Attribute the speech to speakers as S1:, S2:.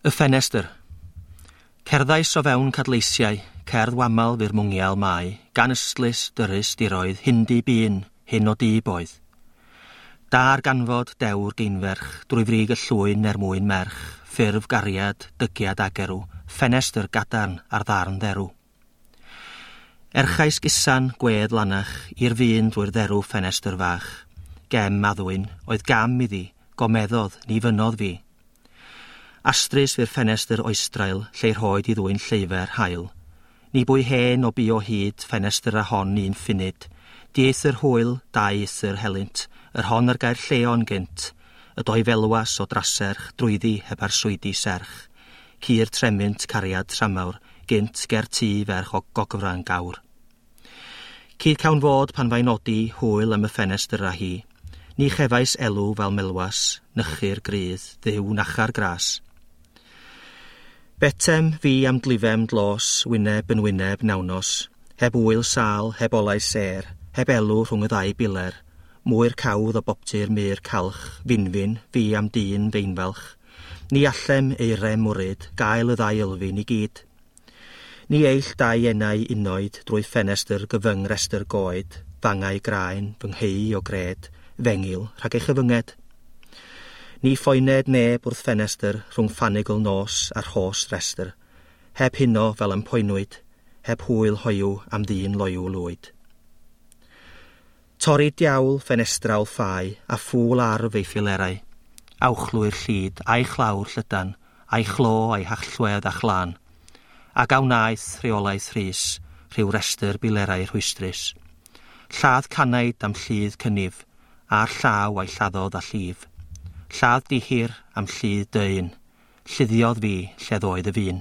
S1: Y ffenestr. Cerddais o fewn cadleisiau, cerdd wamal fu'r mwngial mai, gan ystlys, dyrys, diroedd, hindi bun, hyn o dib oedd. Da'r ganfod dewr geinferch, drwy frig y llwyn er mwyn merch, ffurf gariad, dygiad agerw, ffenestr gadarn ar ddarn dderw. Erchais gusan, gwedd lanach, i'r fun drwy'r dderw ffenestr fach. Gem addwyn, oedd gam iddi, gomeddodd, ni fynodd fi. Astrus fu'r ffenestr oestrael, lle rhoed i ddwyn lleifer hael. Ni bwy hen o bu o hyd, ffenestr a hon un ffunud. Dieithr hwyl, dau eithr helynt, yr hon ar gair lleon gynt, y doi felwas o draserch, drwyddi heb arswydi serch. Cur tremynt cariad tramawr, gynt ger tŷ ferch o gogfran gawr. Cyd cawn fod pan fai nodi hwyl am y ffenestr a hi. Ni chefais elw fel melwas, nychu'r grydd, ddiw nachar gras. Betem fi am glifem dlos, wyneb yn wyneb nawnos, heb wyl sal, heb olau sêr, heb elw rhwng y ddau biler, mwy'r cawdd o boptu'r mur calch, finfin, fi am dyn feinfalch. Ni allem eirem mwryd, gael y ddau ylfin i gyd. Ni eill dau enau unoed drwy ffenestr gyfyng restr goed, fangau graen, fy ngheu o gred, fengil rhag ei chyfynged. Ni phoened neb wrth ffenestr rhwng ffanigl nos a'r rhos restr, heb huno fel am poenwyd, heb hwyl hoyw am ddyn loyw lwyd. Torri diawl ffenestrawl ffau a ffŵl arf ei ffilerau, awchlwy'r llid a'i chlawr llydan, a'i chlo a'i hallwedd a chlân, ac a wnaeth rheolaeth rhys, rhyw restr bilerau rhwystrus. Lladd canaid am lludd cynnif, a'r llaw a'i lladdodd a llif. Lladd dihir am lludd dyn, lluddiodd fi lle ddoedd y fun.